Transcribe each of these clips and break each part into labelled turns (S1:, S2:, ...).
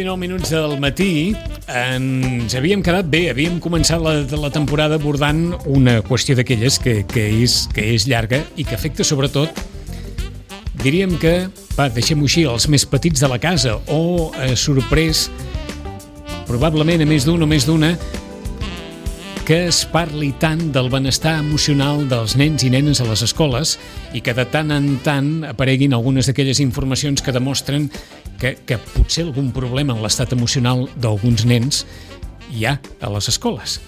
S1: 19 minuts del matí. Ens havíem quedat bé, havíem començat la temporada abordant una qüestió d'aquelles que és llarga i que afecta sobretot, diríem que, deixem-ho així, els més petits de la casa, o sorprès probablement a més d'un o més d'una que es parli tant del benestar emocional dels nens i nenes a les escoles i que de tant en tant apareguin algunes d'aquelles informacions que demostren que potser algun problema en l'estat emocional d'alguns nens hi ha a les escoles,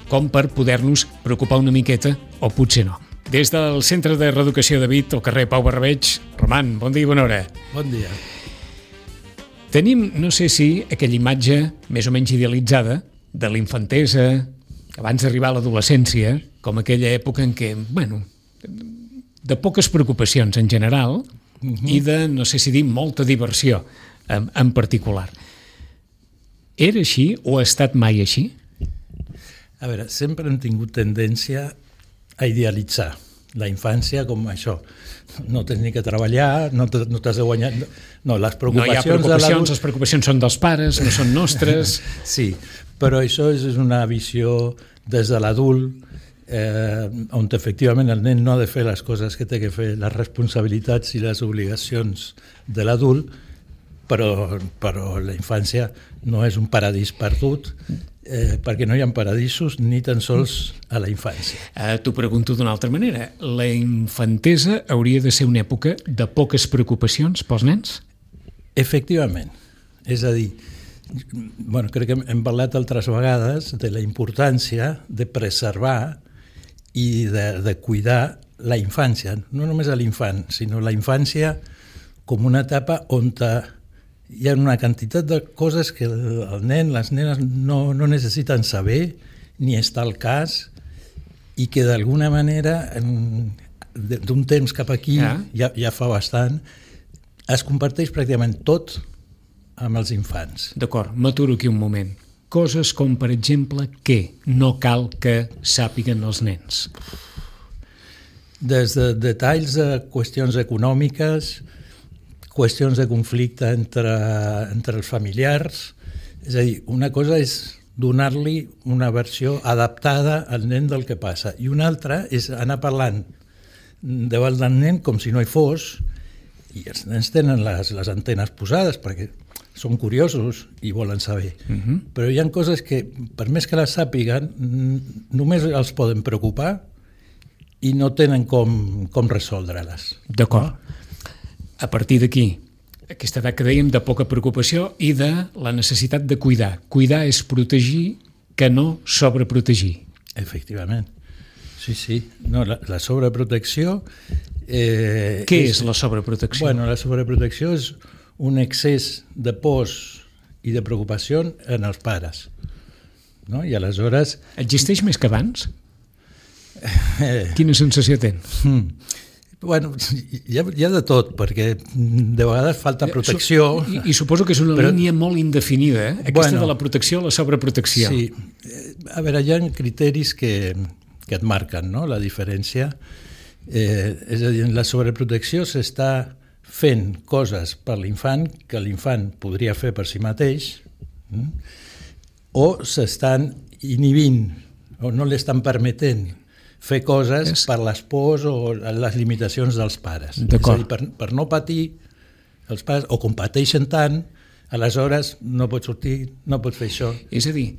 S1: com per poder-nos preocupar una miqueta o potser no. Des del Centre de Reeducació de Vic, al carrer Pau Barrabeig, Roman, bon dia i bona hora.
S2: Bon dia.
S1: Tenim, no sé si, aquella imatge més o menys idealitzada de l'infantesa, abans d'arribar a l'adolescència, com aquella època en què, de poques preocupacions en general i de, no sé si dir, molta diversió en particular. Era així o ha estat mai així?
S2: A veure, sempre hem tingut tendència a idealitzar la infància com això. No tens ni que treballar, no t'has de guanyar... No, les preocupacions...
S1: No hi ha preocupacions, les preocupacions són dels pares, no són nostres...
S2: Sí, però això és una visió des de l'adult, on efectivament el nen no ha de fer les coses que té que fer, les responsabilitats i les obligacions de l'adult, però la infància no és un paradís perdut, perquè no hi ha paradisos ni tan sols a la infància.
S1: T'ho pregunto d'una altra manera. La infantesa hauria de ser una època de poques preocupacions pels nens?
S2: Efectivament. És a dir, crec que hem parlat altres vegades de la importància de preservar i de cuidar la infància, no només a l'infant, sinó la infància com una etapa on hi ha una quantitat de coses que el nen, les nenes no necessiten saber ni estar al cas i que d'alguna manera d'un temps cap aquí, ja fa bastant, es comparteix pràcticament tot amb els infants.
S1: D'acord, m'aturo aquí un moment. Coses com, per exemple, què no cal que sàpiguen els nens?
S2: Des de detalls de qüestions econòmiques, qüestions de conflicte entre els familiars. És a dir, una cosa és donar-li una versió adaptada al nen del que passa i una altra és anar parlant davant del nen com si no hi fos, i els nens tenen les antenes posades perquè són curiosos i volen saber. Però hi ha coses que, per més que les sàpiguen, només els poden preocupar i no tenen com resoldre-les.
S1: D'acord. A partir d'aquí, aquesta edat que dèiem de poca preocupació i de la necessitat de cuidar. Cuidar és protegir, que no sobreprotegir.
S2: Efectivament. Sí. No, la sobreprotecció...
S1: Què és la sobreprotecció?
S2: La sobreprotecció és un excés de pors i de preocupació en els pares. No? I aleshores...
S1: Existeix més que abans? Quina sensació tens?
S2: Hi ha de tot, perquè de vegades falta protecció.
S1: I suposo que és una línia molt indefinida, aquesta de la protecció a la sobreprotecció.
S2: Sí. A veure, hi ha criteris que et marquen, no?, la diferència. És a dir, en la sobreprotecció s'està fent coses per l'infant que l'infant podria fer per si mateix, o s'estan inhibint, o no li estan permetent fer coses per les pors o les limitacions dels pares.
S1: D'acord.
S2: És a dir, per no patir els pares, o com pateixen tant, aleshores no pots sortir, no pots fer això.
S1: És a dir,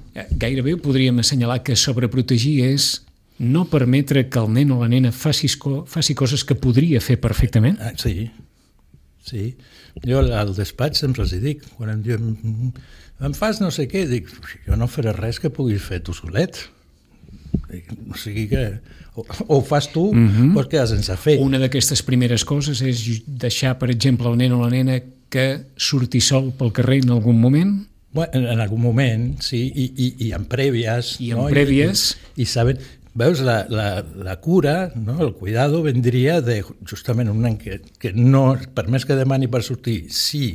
S1: gairebé podríem assenyalar que sobreprotegir és no permetre que el nen o la nena faci coses que podria fer perfectament?
S2: Sí. Jo al despatx sempre els dic, quan em diuen em fas no sé què, dic, jo no faré res que puguis fer tu solet. O sigui que o ho fas tu o es quedes sense fer.
S1: Una d'aquestes primeres coses és deixar, per exemple, el nen o la nena que surti sol pel carrer en algun moment?
S2: En algun moment, sí, i en prèvies.
S1: I en prèvies.
S2: I saben... Veus, la cura, no? El cuidado vendria de justament un nen que no, per més que demani per sortir, sí,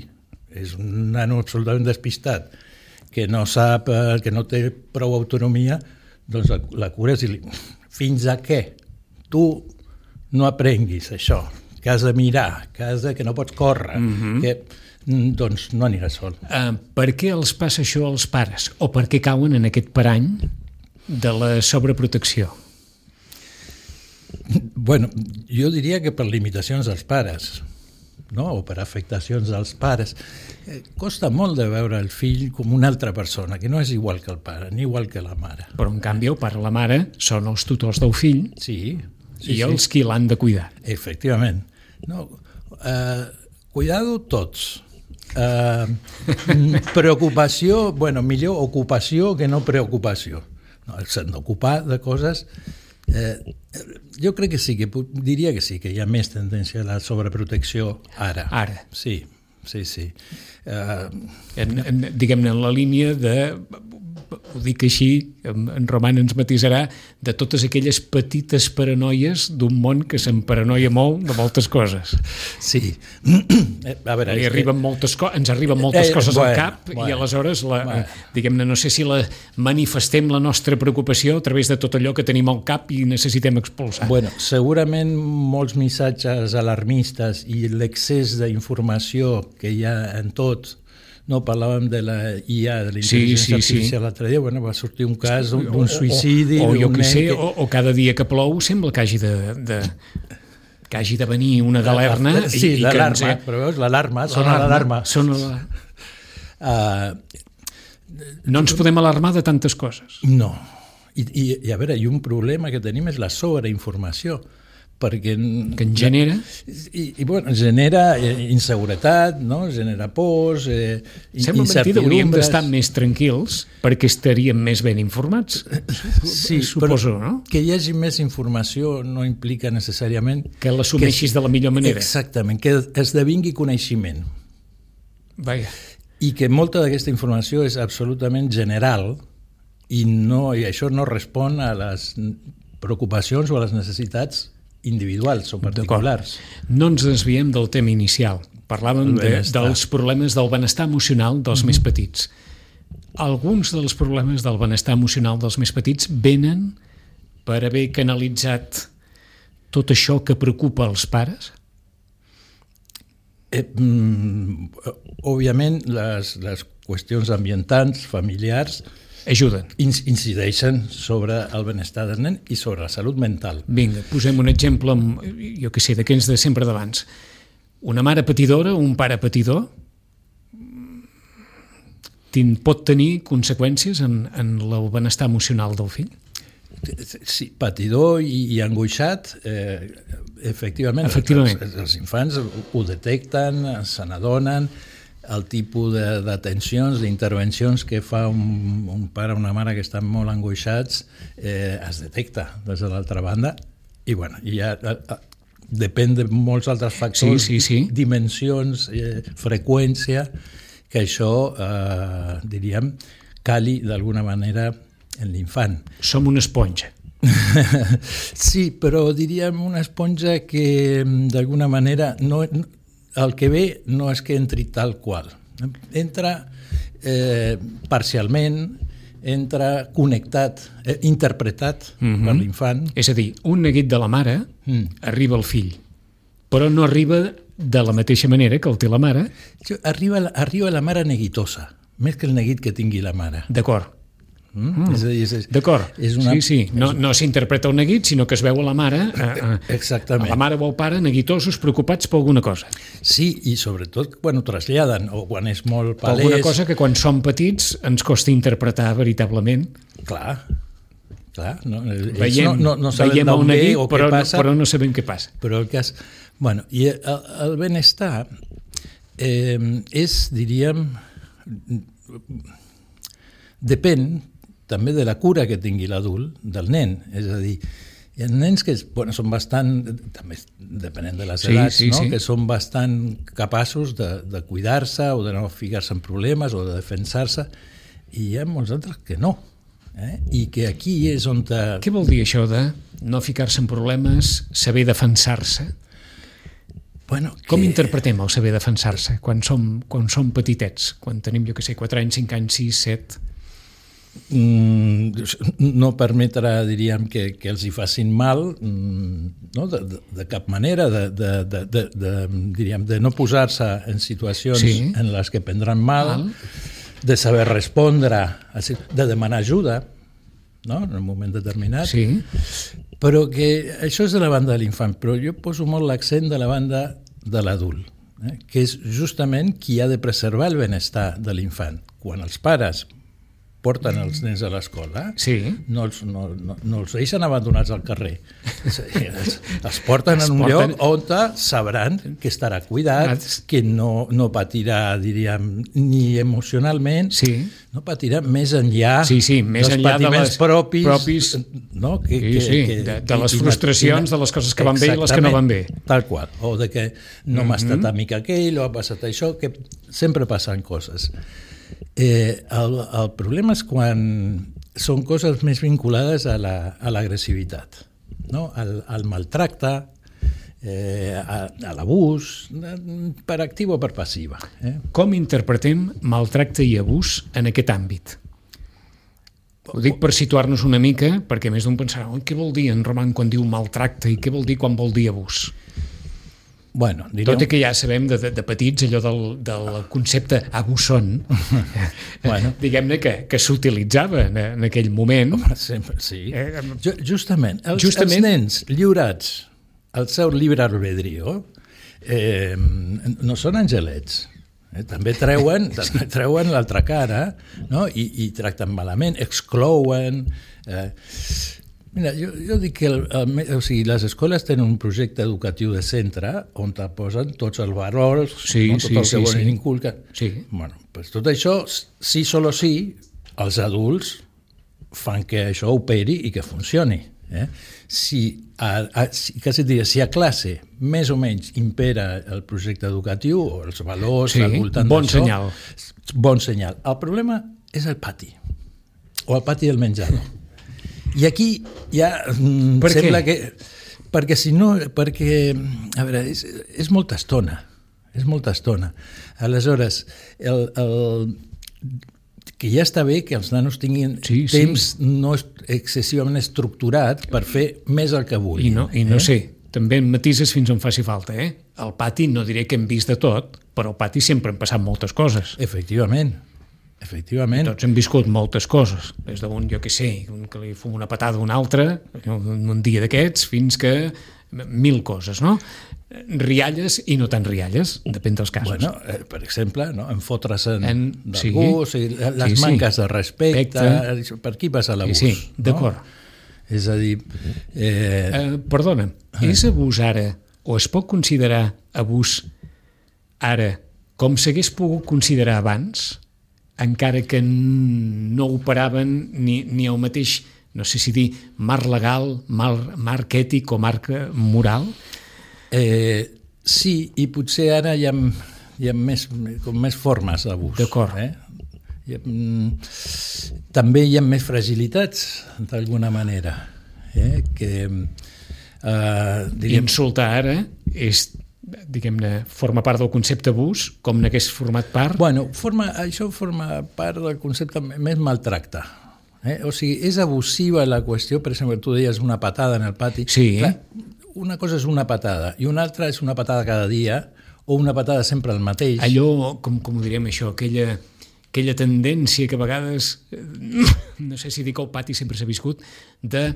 S2: és un nano absolutament despistat, que no sap, que no té prou autonomia, doncs la cura és dir-li, fins a què tu no aprenguis això, que has de mirar, que no pots córrer, que doncs no anirà sol.
S1: Per què els passa això als pares? O per què cauen en aquest parany de la sobreprotecció?
S2: Bueno, jo diria que per limitacions dels pares, no? O per afectacions dels pares. Costa molt de veure el fill com una altra persona, que no és igual que el pare, ni igual que la mare.
S1: Però, en canvi, el pare i la mare són els tutors del fill i els qui l'han de cuidar.
S2: Efectivament. No, cuidado tots. Preocupació, bueno, millor ocupació que no preocupació. No, s'han d'ocupar de coses. Jo crec que sí, que diria que sí, que hi ha més tendència a la sobreprotecció ara.
S1: Ara.
S2: Sí.
S1: Diguem-ne, en la línia de, ho dic així, en Roman ens matisarà, de totes aquelles petites paranoies d'un món que s'emparanoia molt de moltes coses.
S2: Sí. A veure,
S1: ens arriben moltes coses al cap i aleshores, diguem-ne, no sé si manifestem la nostra preocupació a través de tot allò que tenim al cap i necessitem expulsar.
S2: Bueno, segurament molts missatges alarmistes i l'excés d'informació que hi ha en tot. No, parlàvem de la IA, de la intel·ligència artificial l'altre dia, bueno, va sortir un cas d'un suïcidi.
S1: O cada dia que plou sembla que hagi de venir una galerna.
S2: Sí, l'alarma, però veus, l'alarma, sona l'alarma.
S1: No ens podem alarmar de tantes coses.
S2: No, i a veure, i un problema que tenim és la sobreinformació, perquè
S1: que en genera
S2: bueno, genera inseguretat, no? Genera pors,
S1: sembla mentida, hauríem d'estar més tranquils perquè estaríem més ben informats.
S2: Sí,
S1: suposo, no?
S2: Que hi hagi més informació no implica necessàriament
S1: que l'assumeixis de la millor manera.
S2: Exactament, que esdevingui coneixement.
S1: Vaja.
S2: I que molta d'aquesta informació és absolutament general i això no respon a les preocupacions o a les necessitats individuals o particulars.
S1: No ens desviem del tema inicial. Parlàvem dels problemes del benestar emocional dels més petits. Alguns dels problemes del benestar emocional dels més petits venen per haver canalitzat tot això que preocupa els pares?
S2: Òbviament, les qüestions ambientals, familiars,
S1: ajuden.
S2: Incideixen sobre el benestar del nen i sobre la salut mental.
S1: Vinga, posem un exemple, jo què sé, d'aquells de sempre d'abans. Una mare patidora, un pare patidor, pot tenir conseqüències en el benestar emocional del fill?
S2: Sí, patidor i angoixat, efectivament. Els infants ho detecten, se n'adonen. El tipus d'atencions, d'intervencions que fa un pare o una mare que estan molt angoixats es detecta des de l'altra banda i bueno, ja depèn de molts altres factors, dimensions, freqüència, que això, diríem, cali d'alguna manera en l'infant.
S1: Som una esponja.
S2: Sí, però diríem una esponja que d'alguna manera el que ve no és que entri tal qual. Entra parcialment, entra connectat, interpretat per l'infant.
S1: És a dir, un neguit de la mare arriba al fill, però no arriba de la mateixa manera que el té la mare.
S2: Arriba la mare neguitosa, més que el neguit que tingui la mare.
S1: D'acord. D'acord, sí. No s'interpreta un neguit, sinó que es veu a la mare,
S2: exactament.
S1: A la mare o al pare neguitosos, preocupats per alguna cosa.
S2: Sí, i sobretot quan ho traslladen, o quan és molt palès.
S1: Per alguna cosa que quan som petits ens costa interpretar veritablement.
S2: Clar.
S1: No sabem d'on ve o què passa. Però no sabem què passa.
S2: Però el cas... Bueno, i el benestar és, diríem, depèn també de la cura que tingui l'adult del nen. És a dir, hi ha nens que són bastant, també depenent de les edats, que són bastant capaços de cuidar-se o de no ficar-se en problemes o de defensar-se, i hi ha molts altres que no. I que aquí és on...
S1: Què vol dir això de no ficar-se en problemes, saber defensar-se? Com interpretem el saber defensar-se quan som petitets, quan tenim, jo què sé, 4 anys, 5 anys, 6, 7?
S2: no permetrà, diríem, que els hi facin mal, no? De cap manera, diríem, de no posar-se en situacions en les que prendran mal, de saber respondre, de demanar ajuda, no? En un moment determinat. Però que això és de la banda de l'infant, però jo poso molt l'accent de la banda de l'adult, que és justament qui ha de preservar el benestar de l'infant. Quan els pares porten els nens a l'escola, no els deixen abandonats al carrer. Els porten en un lloc on sabran que estarà cuidat, que no patirà, diríem, ni emocionalment, no patirà més enllà dels patiments propis,
S1: de les frustracions, de les coses que van bé i les que no van bé.
S2: Tal qual, o de que no m'ha estat amic aquell, o ha passat això, que sempre passen coses. El problema és quan són coses més vinculades a l'agressivitat, no? Al maltracte, a l'abús, per activa o per passiva.
S1: Com interpretem maltracte i abús en aquest àmbit? Ho dic per situar-nos una mica, perquè més d'un pensarà, què vol dir en Roman quan diu maltracte i què vol dir quan vol dir abús?
S2: Bueno,
S1: tot i que ja sabem de petits allò del concepte abusón, diguem-ne que s'utilitzava en aquell moment.
S2: Sí. Justament, els nens lliurats al seu llibre albedrío no són angelets. També treuen l'altra cara, no? I tracten malament, exclouen... Mira, jo dic que les escoles tenen un projecte educatiu de centre on posen tots els valors, tot el que volen inculcar. Bueno, pues tot això, sí, solo sí, els adults fan que això operi i que funcioni. Si a classe més o menys impera el projecte educatiu o els valors al voltant d'això, bon senyal. El problema és el pati, o el pati del menjador. I aquí ja sembla que... Perquè si no... Perquè, a veure, és molta estona. És molta estona. Aleshores, que ja està bé que els nanos tinguin temps no excessivament estructurat per fer més el que vulguin.
S1: I no sé, també en matises fins on faci falta. Al pati no diré que hem vist de tot, però al pati sempre han passat moltes coses.
S2: Efectivament.
S1: Tots hem viscut moltes coses, des d'un, jo què sé, que li fum una patada a un altre, un dia d'aquests, fins que 1000 coses, no? Rialles i no tan rialles, depèn dels casos.
S2: Bueno, per exemple, no? Enfotre's d'algú, les manques de respecte, per aquí passa l'abús.
S1: Sí, d'acord.
S2: És a dir...
S1: Perdona, és abús ara, o es pot considerar abús ara, com s'hagués pogut considerar abans, encara que no operaven ni el mateix, no sé si dir, marc legal, marc ètic o marc moral?
S2: Sí, i potser ara hi ha més formes d'abús.
S1: D'acord.
S2: També hi ha més fragilitats, d'alguna manera.
S1: I insultar ara és... diguem-ne, forma part del concepte abús, com n'hagués format part?
S2: Bueno, això forma part del concepte més maltracte. O sigui, és abusiva la qüestió, per exemple, tu deies una patada en el pati.
S1: Sí.
S2: Clar, una cosa és una patada i una altra és una patada cada dia o una patada sempre el mateix.
S1: Allò, com ho direm això, aquella tendència que a vegades, no sé si dic que el pati sempre s'ha viscut, de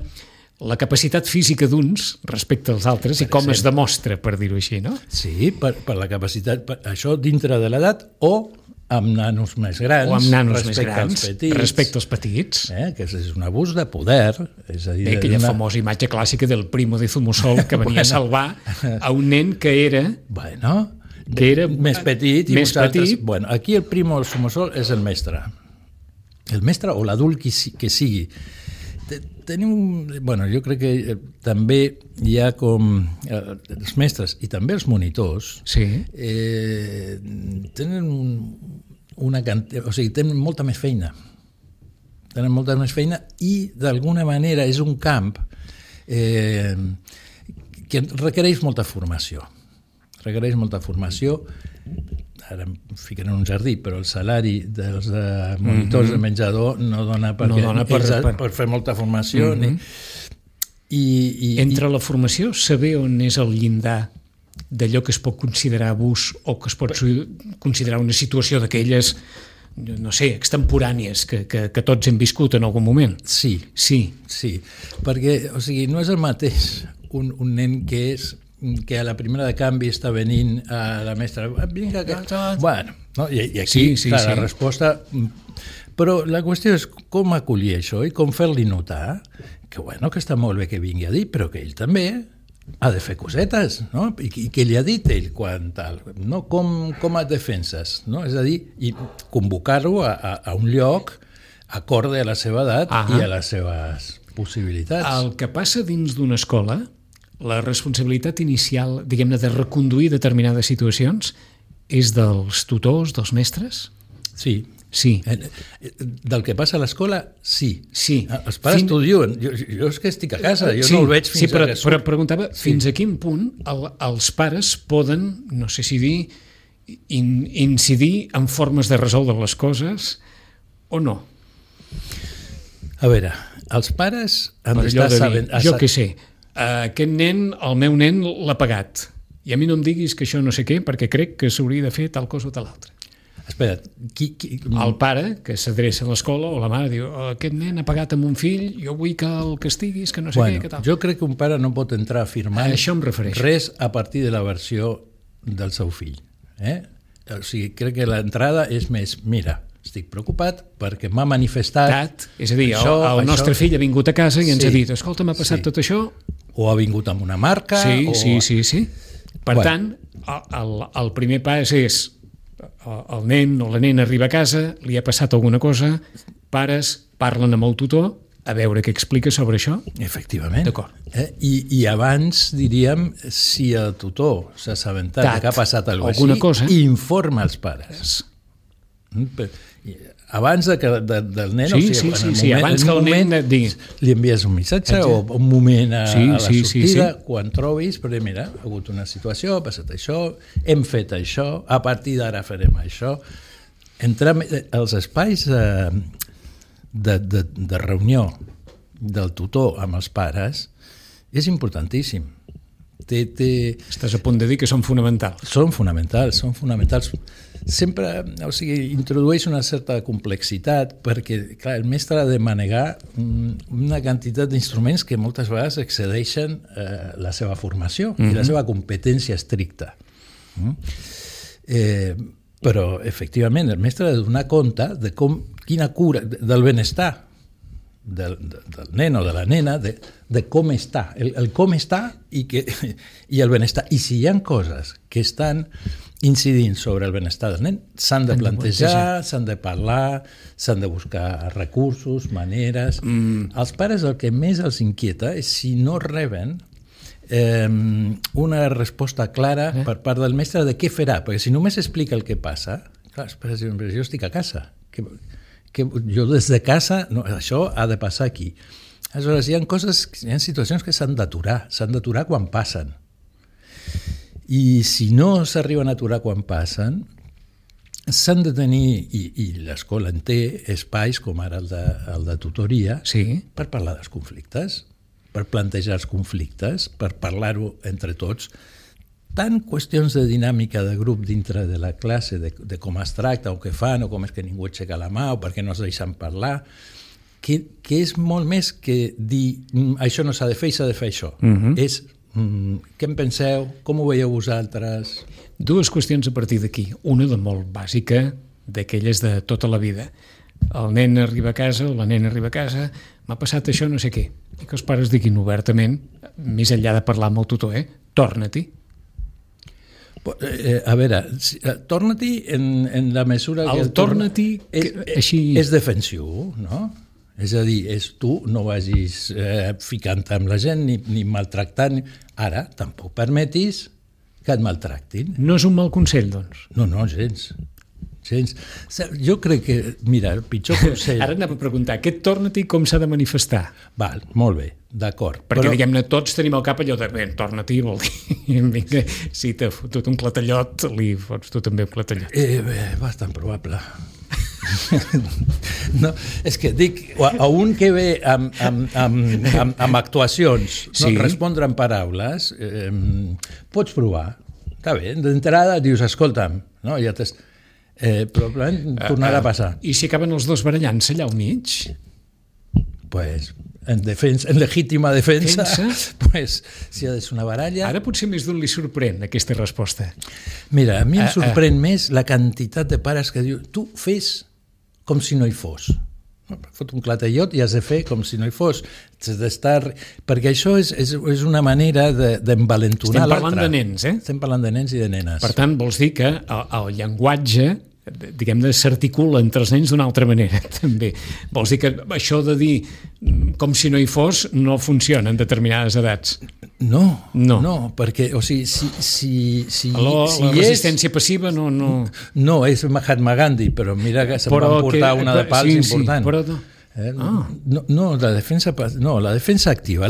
S1: la capacitat física d'uns respecte als altres i com es demostra, per dir-ho així, no?
S2: Sí, per la capacitat, això dintre de l'edat o amb nanos més grans,
S1: o amb nanos més grans respecte als petits.
S2: Que és un abús de poder. És a dir,
S1: aquella famosa imatge clàssica del primo de Zumosol que venia a salvar a un nen que era...
S2: més petit.
S1: Més petit.
S2: Bueno, aquí el primo de Zumosol és el mestre. El mestre o l'adult que sigui. Jo crec que també hi ha com els mestres i també els monitors tenen tenen molta més feina. I d'alguna manera és un camp que requereix molta formació. ara em fiquen en un jardí, però el salari dels monitors de menjador no dona per fer molta formació.
S1: Entre la formació, saber on és el llindar d'allò que es pot considerar abús o que es pot considerar una situació d'aquelles, no sé, extemporànies que tots hem viscut en algun moment.
S2: Sí, perquè no és el mateix un nen que a la primera de canvi està venint a la mestra, vinga, bueno, no? I aquí, clar, la resposta... Però la qüestió és com acollir això i com fer-li notar que, bueno, que està molt bé que vingui a dir, però que ell també ha de fer cosetes, no? I què li ha dit ell quan tal, no? Com et defenses, no? És a dir, i convocar-lo a un lloc acorde a la seva edat i a les seves possibilitats.
S1: El que passa dins d'una escola, la responsabilitat inicial, diguem-ne, de reconduir determinades situacions és dels tutors, dels mestres?
S2: Sí. Del que passa a l'escola, sí. Els pares t'ho diuen. Jo és que estic a casa, jo no el veig fins
S1: a que surt. Però preguntava fins a quin punt els pares poden, no sé si dir, incidir en formes de resoldre les coses o no?
S2: A veure, els pares han d'estar sabent...
S1: Jo què sé, aquest nen, el meu nen l'ha pagat i a mi no em diguis que això no sé què perquè crec que s'hauria de fer tal cosa o tal altra.
S2: Espera't,
S1: el pare que s'adreça a l'escola o la mare diu aquest nen ha pagat amb un fill, jo vull que el castiguis, que no sé què tal.
S2: Jo crec que un pare no pot entrar a afirmar res a partir de la versió del seu fill. O sigui, crec que l'entrada és més, mira, estic preocupat perquè m'ha manifestat...
S1: És a dir, el nostre fill ha vingut a casa i ens ha dit, escolta, m'ha passat tot això...
S2: O ha vingut amb una marca...
S1: Sí. Per tant, el primer pas és el nen o la nena arriba a casa, li ha passat alguna cosa, pares parlen amb el tutor a veure què explica sobre això.
S2: Efectivament.
S1: D'acord.
S2: I abans, diríem, si el tutor s'ha assabentat que ha passat alguna cosa, informa els pares. Abans del nen,
S1: abans que el nen et digui.
S2: Li envies un missatge o un moment a la sortida, quan trobis, però mira, ha hagut una situació, ha passat això, hem fet això, a partir d'ara farem això. Entrar als espais de reunió del tutor amb els pares és importantíssim.
S1: Estàs a punt de dir que són fonamentals.
S2: Són fonamentals. Sempre, introdueix una certa complexitat perquè, clar, el mestre ha de manegar una quantitat d'instruments que moltes vegades excedeixen la seva formació i la seva competència estricta. Però, efectivament, el mestre ha de donar compte de quina cura del benestar del nen o de la nena, de com està, el com està i el benestar. I si hi ha coses que estan incidint sobre el benestar del nen, s'han de plantejar, s'han de parlar, s'han de buscar recursos, maneres. Els pares el que més els inquieta és si no reben una resposta clara per part del mestre de què farà, perquè si només explica el que passa, clar, els pares diuen, jo estic a casa, que jo des de casa, no, això ha de passar aquí. Aleshores, hi ha situacions que s'han d'aturar quan passen. I si no s'arriben a aturar quan passen, s'han de tenir, i l'escola en té, espais com ara el de tutoria, per parlar dels conflictes, per plantejar els conflictes, per parlar-ho entre tots, tant qüestions de dinàmica de grup dintre de la classe, de com es tracta o què fan, o com és que ningú aixeca la mà, o per què no es deixen parlar, que és molt més que dir això no s'ha de fer i s'ha de fer això. És què en penseu, com ho veieu vosaltres?
S1: Dues qüestions a partir d'aquí. Una de molt bàsica, d'aquelles de tota la vida. El nen arriba a casa o la nena arriba a casa, m'ha passat això no sé què. I que els pares diguin obertament, més enllà de parlar amb el tutor, torna-t'hi.
S2: A veure, torna-t'hi en la mesura que...
S1: El torna-t'hi
S2: és defensiu, no? És a dir, tu no vagis ficant-te amb la gent ni maltractant. Ara, tampoc permetis que et maltractin.
S1: No és un mal consell, doncs?
S2: No, gens. gens. Jo crec que, mira, el pitjor consell...
S1: Ara anava a preguntar, aquest torna-t'hi com s'ha de manifestar?
S2: Val, molt bé, d'acord.
S1: Perquè, diguem-ne, tots tenim al cap allò de, bé, torna-t'hi, vol dir, vinga, si t'ha fotut un clatellot, li fots tu també un clatellot.
S2: Bastant probable. No, és que dic, a un que ve amb actuacions, no, respondre en paraules, pots provar. Està bé, d'entrada dius, escolta'm, no, ja t'has... probablement tornarà a passar.
S1: I si acaben els dos barallant-se allà al mig?
S2: Pues, en legítima defensa, pues, si és una baralla...
S1: Ara potser més d'un li sorprèn aquesta resposta.
S2: Mira, a mi em sorprèn més la quantitat de pares que diu, tu fes com si no hi fos. Fot un clatellot i has de fer com si no hi fos. Perquè això és una manera d'envalentonar l'altre.
S1: Estem parlant de nens, eh?
S2: Estem parlant de nens i de nenes.
S1: Per tant, vols dir que el llenguatge, diguem-ne, s'articula entre els nens d'una altra manera, també. Vols dir que això de dir com si no hi fos no funciona en determinades edats?
S2: No, perquè, o sigui,
S1: la resistència passiva no...
S2: No, és Mahatma Gandhi, però mira que se'n va portar una de pals important.
S1: Sí, però no.
S2: La defensa activa.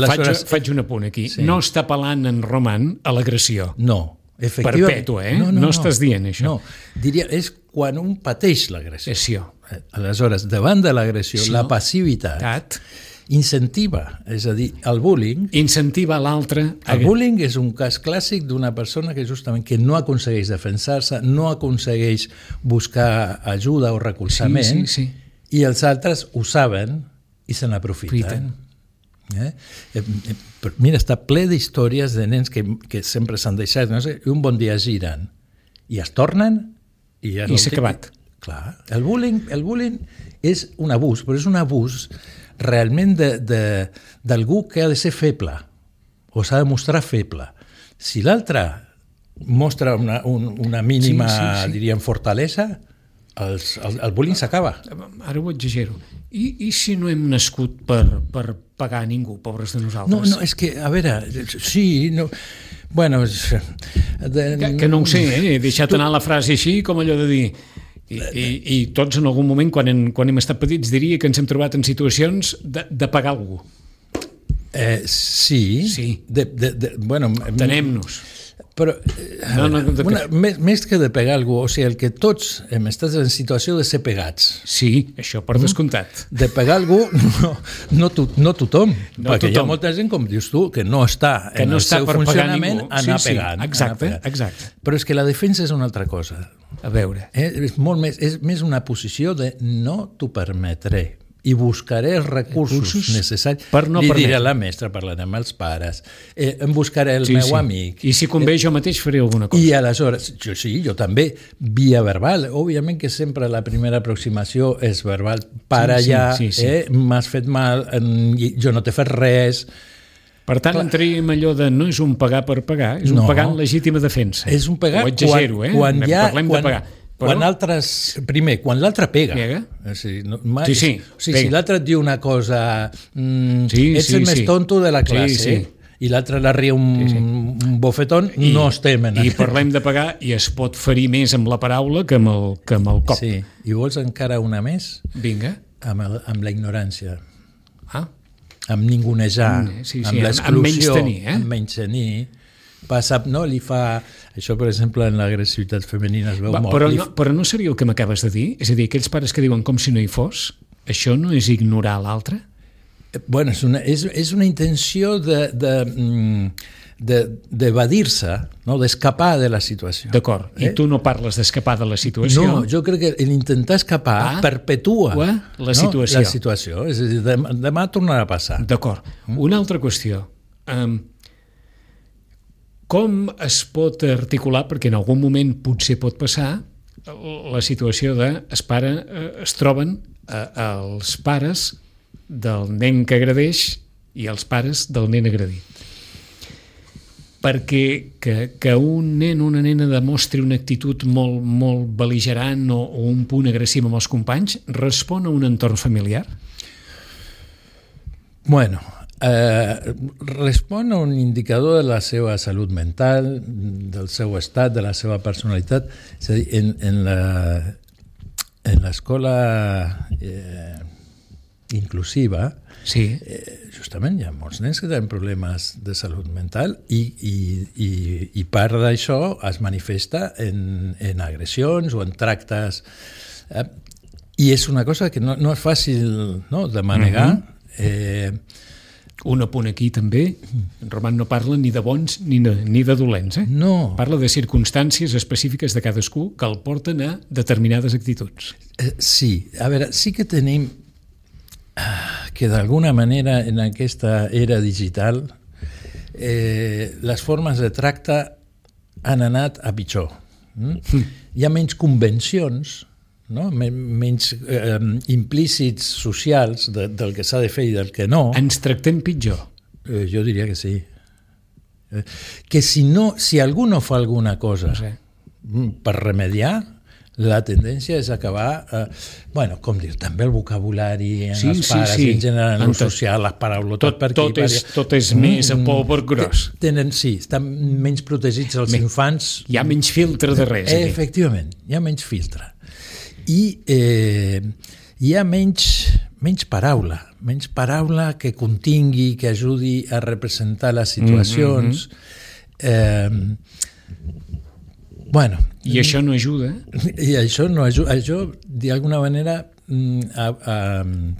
S1: Faig un apunt aquí. Sí. No està apel·lant en Roman a l'agressió.
S2: No, efectivament.
S1: Perpètua, No estàs dient això.
S2: No, diria, és quan un pateix l'agressió. Aleshores, davant de l'agressió, la passivitat incentiva, és a dir, el bullying...
S1: Incentiva l'altre...
S2: El bullying és un cas clàssic d'una persona que justament que no aconsegueix defensar-se, no aconsegueix buscar ajuda o recolzament, i els altres ho saben i se n'aprofiten. Mira, està ple d'històries de nens que sempre s'han deixat, no sé, i un bon dia giren i es tornen i
S1: s'ha acabat.
S2: Clar, el bullying és un abús, però és un abús realment d'algú que ha de ser feble o s'ha de mostrar feble. Si l'altre mostra una mínima, diríem, fortalesa, el bullying s'acaba.
S1: Ara ho exagero. I si no hem nascut per pagar a ningú, pobres de nosaltres?
S2: No, és que, a veure, sí, no... Bueno,
S1: que no ho sé, he deixat anar la frase així, com allò de dir... I tots en algun moment, quan hem estat petits, diria que ens hem trobat en situacions de pagar algú.
S2: Sí. Bueno,
S1: tenem-nos.
S2: Però més que de pegar algú, o sigui, el que tots hem estat en situació de ser pegats.
S1: Sí, això per descomptat.
S2: De pegar algú, no tothom, perquè hi ha molta gent, com dius tu, que no està en el seu funcionament anar pegant.
S1: Exacte.
S2: Però és que la defensa és una altra cosa.
S1: A veure.
S2: És més una posició de no t'ho permetré i buscaré els recursos necessaris. Li diré a la mestra, parlaré amb els pares, em buscaré el meu amic.
S1: I si convé jo mateix faré alguna cosa.
S2: I aleshores, jo també, via verbal. Òbviament que sempre la primera aproximació és verbal. Para ja, m'has fet mal, jo no t'he fet res.
S1: Per tant, entraríem allò de no és un pagar per pagar, és un pagar en legítima defensa.
S2: És un pagar
S1: quan parlem de pagar.
S2: Quan l'altre pega. Si l'altre et diu una cosa, ets el més tonto de la classe, i l'altre la ria un bofetón, no estem en
S1: I parlem de pagar i es pot ferir més amb la paraula que amb el cop.
S2: Sí, i vols encara una més?
S1: Vinga.
S2: Amb la ignorància. Amb ningunejar, amb l'exclusió, amb menystenir. Li fa... Això, per exemple, en l'agressivitat femenina es veu molt.
S1: Però no seria el que m'acabes de dir? És a dir, aquells pares que diuen com si no hi fos, això no és ignorar l'altre?
S2: Bueno, és una intenció d'evadir-se, d'escapar de la situació.
S1: D'acord. I tu no parles d'escapar de la situació?
S2: No, jo crec que l'intentar escapar perpetua
S1: la situació.
S2: És a dir, demà tornarà a passar.
S1: D'acord. Una altra qüestió. Com es pot articular, perquè en algun moment potser pot passar, la situació es troben els pares del nen que agredeix i els pares del nen agredit. Perquè que un nen o una nena demostri una actitud molt, molt bel·ligerant o un punt agressiu amb els companys respon a un entorn familiar?
S2: Bueno, respon a un indicador de la seva salut mental, del seu estat, de la seva personalitat. És a dir, en l'escola inclusiva,
S1: Sí.
S2: justament hi ha molts nens que tenen problemes de salut mental i part d'això es manifesta en agressions o en tractes. I és una cosa que no és fàcil, no, de manegar.
S1: Un apunt aquí també, en Roman no parla ni de bons ni de dolents,
S2: No.
S1: Parla de circumstàncies específiques de cadascú que el porten a determinades actituds.
S2: Sí, a veure, sí que tenim que d'alguna manera en aquesta era digital les formes de tracte han anat a pitjor. Hi ha menys convencions, no? Menys implícits socials del que s'ha de fer i del que no.
S1: Ens tractem pitjor.
S2: Jo diria que sí. Que si algú no fa alguna cosa per remediar, la tendència és acabar, com dir, també el vocabulari en els pares, en general, en el social, les paraulotes per aquí.
S1: Tot és més a polvor gros.
S2: Estan menys protegits els infants.
S1: Hi ha menys filtre de res.
S2: Efectivament, hi ha menys filtre. I hi ha menys paraula que contingui, que ajudi a representar les situacions.
S1: I això no ajuda.
S2: I això no ajuda. Això, d'alguna manera,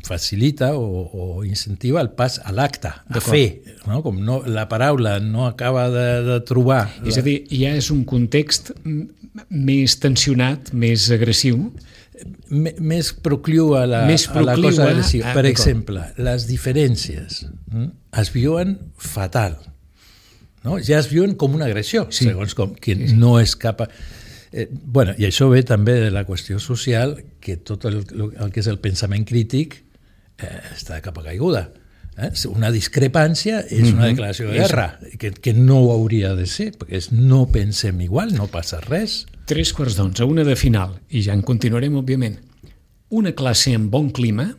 S2: facilita o incentiva el pas a l'acte, a fer. No? Com la paraula no acaba de trobar...
S1: És a dir, ja és un context més tensionat, més agressiu.
S2: Més procliu a la cosa agressiva. Per exemple, les diferències es viuen fatal. No? Ja es viuen com una agressió, segons com, que no és cap... I això ve també de la qüestió social, que tot el que és el pensament crític està de capa caiguda. Una discrepància és una declaració de guerra, que no ho hauria de ser, perquè no pensem igual, no passa res.
S1: 11:45, una de final, i ja en continuarem, òbviament. Una classe amb bon clima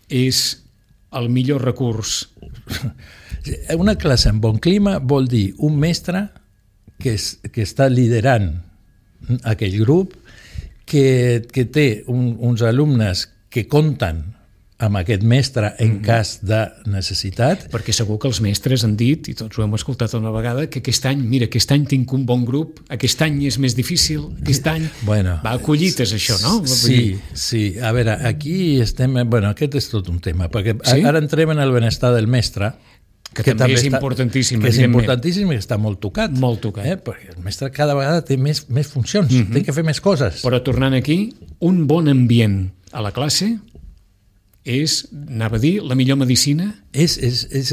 S1: és el millor recurs.
S2: Una classe amb bon clima vol dir un mestre que està liderant aquell grup, que té uns alumnes que compten amb aquest mestre en cas de necessitat.
S1: Perquè segur que els mestres han dit, i tots ho hem escoltat una vegada, que aquest any tinc un bon grup, aquest any és més difícil, aquest any... Va a collites, això, no?
S2: Sí. A veure, aquí estem... Aquest és tot un tema, perquè ara entrem en el benestar del mestre,
S1: que també és importantíssim.
S2: Que és importantíssim i està molt tocat.
S1: Molt tocat.
S2: Perquè el mestre cada vegada té més funcions, té que fer més coses.
S1: Però tornant aquí, un bon ambient a la classe és, anava a dir, la millor medicina?
S2: És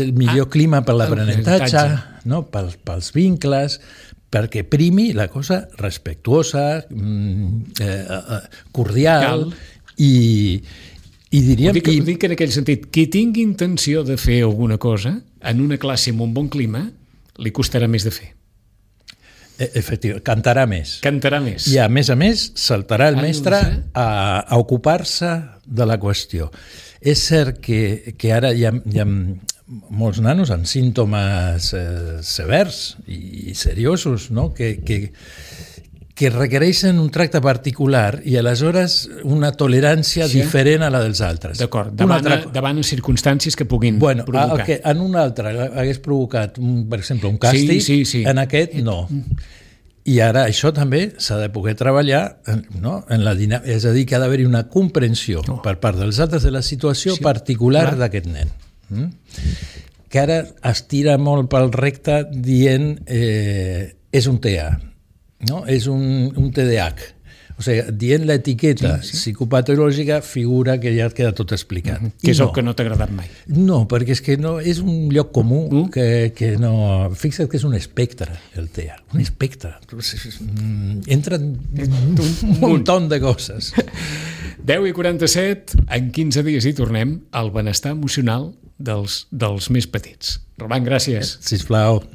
S2: el millor clima per l'aprenentatge, no? Pels vincles, perquè primi la cosa respectuosa, cordial i diríem...
S1: Ho dic en aquell sentit, qui tingui intenció de fer alguna cosa en una classe amb un bon clima, li costarà més de fer.
S2: Efectivament, cantarà més. I a més, saltarà el mestre a ocupar-se de la qüestió. És cert que ara hi ha molts nanos amb símptomes severs i seriosos, no? que requereixen un tracte particular i aleshores una tolerància diferent a la dels altres.
S1: D'acord, davant circumstàncies que puguin provocar.
S2: El que en un altre hagués provocat, per exemple, un càstig, en aquest no. I ara això també s'ha de poder treballar, no? En la dinàmica, és a dir, que ha d'haver-hi una comprensió per part dels altres de la situació particular d'aquest nen. Que ara es tira molt pel recte dient és un TEA. No? És un TDAH. O sigui, dient l'etiqueta psicopatològica figura que ja et queda tot explicat.
S1: Que és el que no t'ha agradat mai.
S2: No, perquè és que no, és un lloc comú que no... Fixa't que és un espectre, el TEA. Un espectre. Entra un muntó de coses.
S1: 10:47, en 15 dies hi tornem al benestar emocional dels més petits. Roman, gràcies.
S2: Sisplau.